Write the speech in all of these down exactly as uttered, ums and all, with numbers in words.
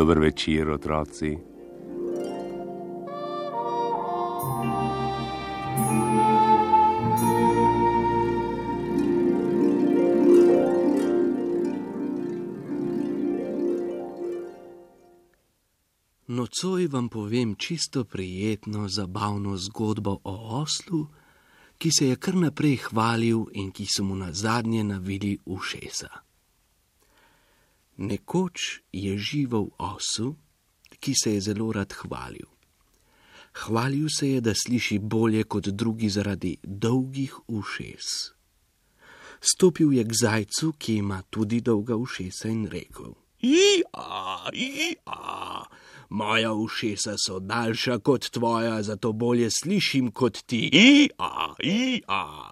Dober večer, otroci. Nocoj vam povem čisto prijetno, zabavno zgodbo o oslu, ki se je kar naprej hvalil in ki so mu nazadnje navili ušesa. Nekoč je živel osel, ki se je zelo rad hvalil. Hvalil se je, da sliši bolje kot drugi zaradi dolgih ušes. Stopil je k zajcu, ki ima tudi dolga ušesa, in rekel: "Ija, ija, moja ušesa so daljša kot tvoja, zato bolje slišim kot ti. Ija, ija."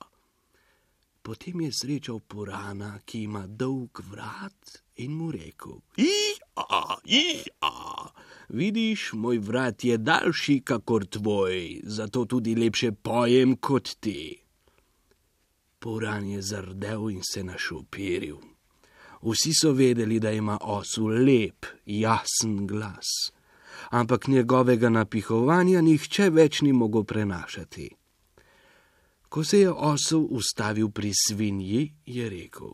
Potem je srečal purana, ki ima dolg vrat, in mu rekel: "Ija, ija, vidiš, moj vrat je daljši kakor tvoj, zato tudi lepše pojem kot ti." Puran je zardel in se našopiril. Vsi so vedeli, da ima osel lep, jasen glas, ampak njegovega napihovanja nihče več ni mogel prenašati. Ko se je osel ustavil pri svinji, je rekel: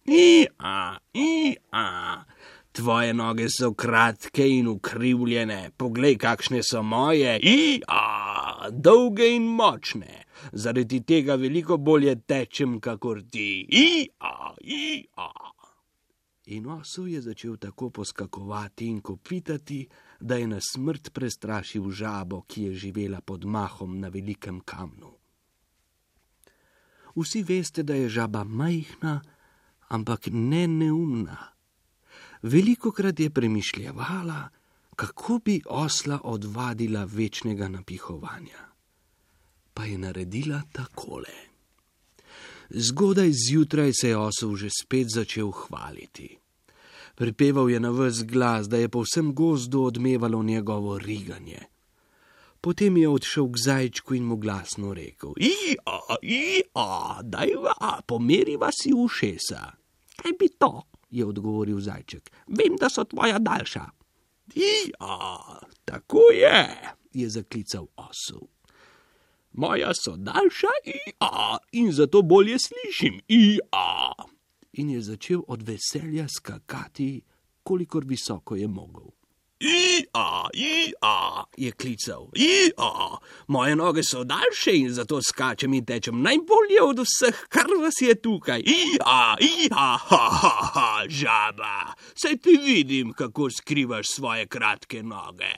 "Ija, ija, tvoje noge so kratke in ukrivljene, poglej, kakšne so moje. Ija, dolge in močne, zaradi tega veliko bolje tečem kakor ti. Ija, ija." In osel je začel tako poskakovati in kopitati, da je na smrt prestrašil žabo, ki je živela pod mahom na velikem kamnu. Vsi veste, da je žaba majhna, ampak ne neumna. Velikokrat je premišljevala, kako bi osla odvadila večnega napihovanja. Pa je naredila takole. Zgodaj zjutraj se je osel že spet začel hvaliti. Pripeval je na ves glas, da je po vsem gozdu odmevalo njegovo riganje. Potem je odšel k zajčku in mu glasno rekel: "Ija, ija, dajva, pomeriva si ušesa." "Kaj bi to?" je odgovoril zajček. "Vem, da so tvoja daljša." "Ija, tako je," je zaklical osel. "Moja so daljša, ija, in zato bolje slišim, ija." In je začel od veselja skakati, kolikor visoko je mogel. "Ija, ija," je klical, "ija, moje noge so daljše in zato skačem in tečem najbolje od vseh, kar vas je tukaj. Ija, ija, ha, ha, ha, žaba, saj ti vidim, kako skrivaš svoje kratke noge.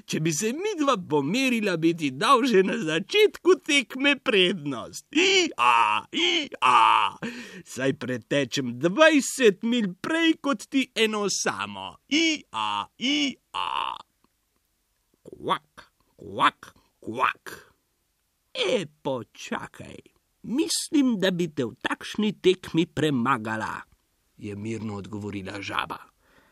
Če bi se midva pomerila, bi ti dal že na začetku tekme prednost. Ija, ija, saj pretečem dvajset milj prej kot ti eno samo. Ija, ija." Kvak, kvak, kvak. "E, počakaj, mislim, da bi te v takšni tekmi premagala," je mirno odgovorila žaba.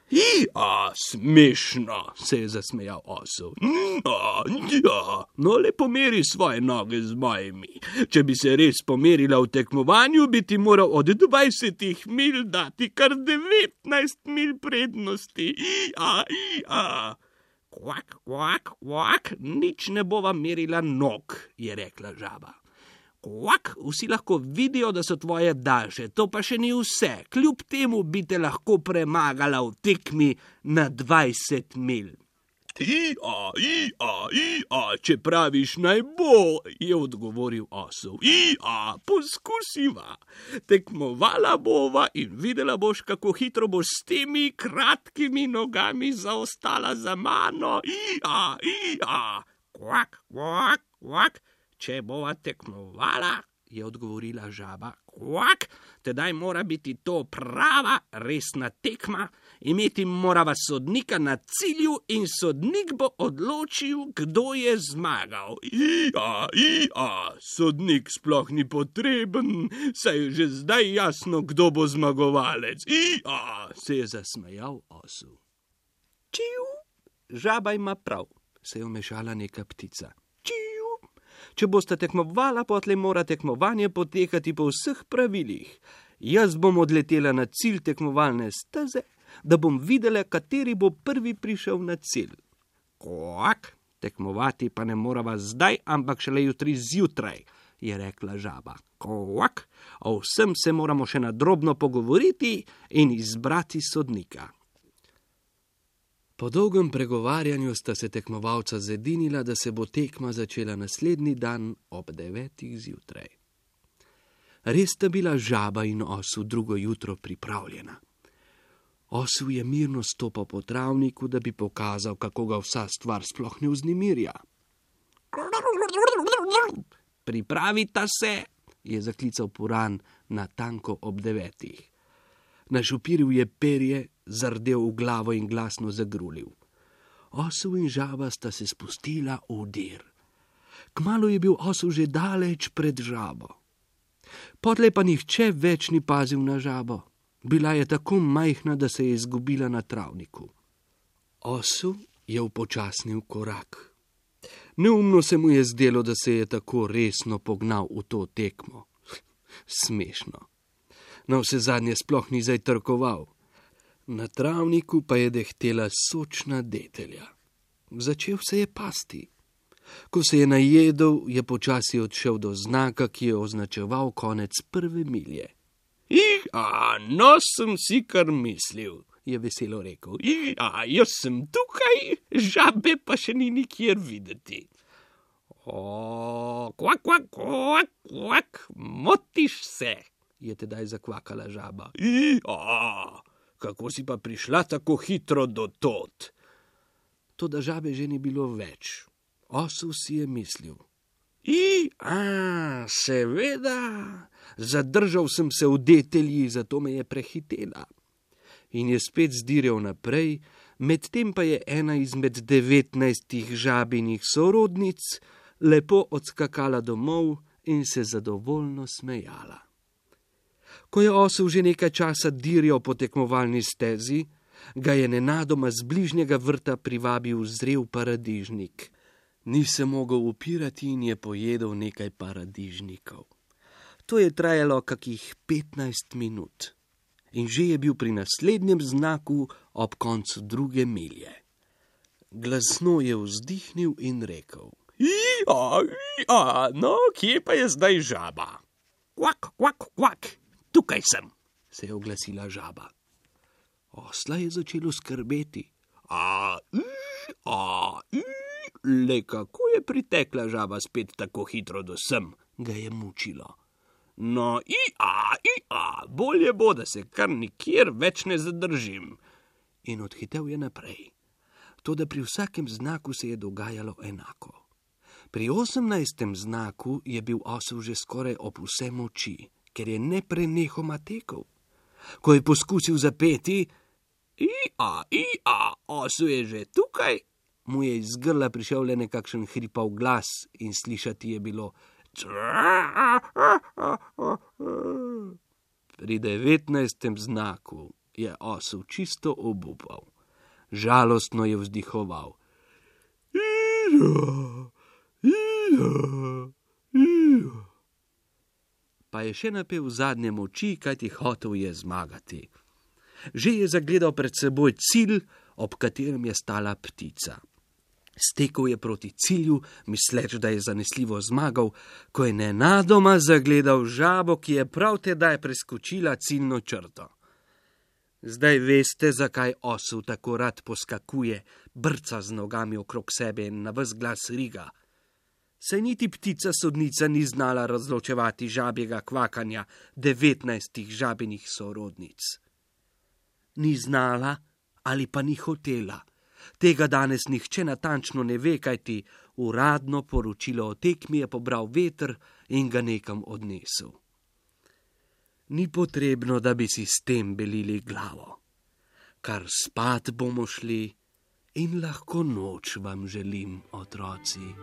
"Ija, smešno," se je zasmejal osel. "Ja, ja, no le pomeri svoje noge z mojimi. Če bi se res pomerila v tekmovanju, bi ti moral od dvajsetih milj dati kar devetnajst milj prednosti. Ija, ija." "Kvak, kvak, kvak, nič ne bova merila nog," je rekla žaba. "Kvak, vsi lahko vidijo, da so tvoje daljše, to pa še ni vse. Kljub temu bi te lahko premagala v tekmi na dvajset milj." "Ija, ija, ija, če praviš, naj bo," je odgovoril osel. "Ija, poskusiva. Tekmovala bova in videla boš, kako hitro boš s temi kratkimi nogami zaostala za mano. Ija, ija." "Kvak, kvak, kvak, če bova tekmovala," je odgovorila žaba, "kvak, tedaj mora biti to prava, resna tekma. Imeti morava sodnika na cilju in sodnik bo odločil, kdo je zmagal." "Ija, ija, sodnik sploh ni potreben, saj je že zdaj jasno, kdo bo zmagovalec. Ija," se je zasmejal osel. "Čiu, žaba ima prav," se je vmešala neka ptica. "Čiu, če boste tekmovala, potlej mora tekmovanje potekati po vseh pravilih. Jaz bom odletela na cilj tekmovalne steze, da bom videla, kateri bo prvi prišel na cilj. Kvak, tekmovati pa ne morava zdaj, ampak šele jutri zjutraj, je rekla žaba. Kvak, o vsem se moramo še nadrobno pogovoriti in izbrati sodnika. Po dolgem pregovarjanju sta se tekmovalca zedinila, da se bo tekma začela naslednji dan ob devetih zjutraj. Res sta bila žaba in osel drugo jutro pripravljena. Osel je mirno stopal po travniku, da bi pokazal, kako ga vsa stvar sploh ne vznemirja. Pripravita se, je zaklical puran natanko ob devetih. Našopiril je perje, zardel v glavo in glasno zagrulil. Osel in žaba sta se spustila v dir. Kmalu je bil osel že daleč pred žabo. Potlej pa nihče več ni pazil na žabo. Bila je tako majhna, da se je izgubila na travniku. Osel je upočasnil korak. Neumno se mu je zdelo, da se je tako resno pognal v to tekmo. Smešno. Na vse zadnje sploh ni zajtrkoval. Na travniku pa je dehtela sočna detelja. Začel se je pasti. Ko se je najedel, je počasi odšel do znaka, ki je označeval konec prve milje. Ih, a, no sem si kar mislil, je veselo rekel. Ih, a, jaz sem tukaj, žabe pa še ni nikjer videti. O, kvak, kvak, kvak, kvak, motiš se, je tedaj zakvakala žaba. Ih, a, kako si pa prišla tako hitro do tod? Toda žabe že ni bilo več. Osel si je mislil. I, a, seveda, zadržal sem se v detelji, zato me je prehitela. In je spet zdirjal naprej, medtem pa je ena izmed devetnajstih žabinih sorodnic lepo odskakala domov in se zadovoljno smejala. Ko je osel že nekaj časa dirjal po tekmovalni stezi, ga je nenadoma z bližnjega vrta privabil zrel paradižnik. Ni se mogel upirati in je pojedel nekaj paradižnikov. To je trajalo kakih petnajst minut in že je bil pri naslednjem znaku ob koncu druge milje. Glasno je vzdihnil in rekel. Ija, ija, no, kje pa je zdaj žaba? Kvak, kvak, kvak, tukaj sem, se je oglasila žaba. Osla je začelo skrbeti. A, i, a, i. Le kako je pritekla žaba spet tako hitro do sem, ga je mučilo. No, i-a, i-a, bolje bo, da se kar nikjer več ne zadržim. In odhitel je naprej. Toda pri vsakem znaku se je dogajalo enako. Pri osemnajstem znaku je bil osel že skoraj ob vse moči, ker je neprenehoma tekel. Ko je poskusil zapeti, i-a, i-a, osel je že tukaj, mu je iz grla prišel le nekakšen hripav glas in slišati je bilo. Pri devetnajstem znaku je osel čisto obupal. Žalostno je vzdihoval. Pa je še napel zadnje moči, kajti hotel je zmagati. Že je zagledal pred seboj cilj, ob katerem je stala ptica. Stekel je proti cilju, misleč, da je zanesljivo zmagal, ko je nenadoma zagledal žabo, ki je prav tedaj preskočila ciljno črto. Zdaj veste, zakaj osel tako rad poskakuje, brca z nogami okrog sebe in na ves glas riga. Saj niti ptica sodnica ni znala razločevati žabjega kvakanja devetnajstih žabinih sorodnic. Ni znala ali pa ni hotela. Tega danes nihče natančno ne ve, kajti uradno poročilo o tekmi je pobral veter in ga nekam odnesel. Ni potrebno, da bi si s tem belili glavo. Kar spat bomo šli in lahko noč vam želim, otroci.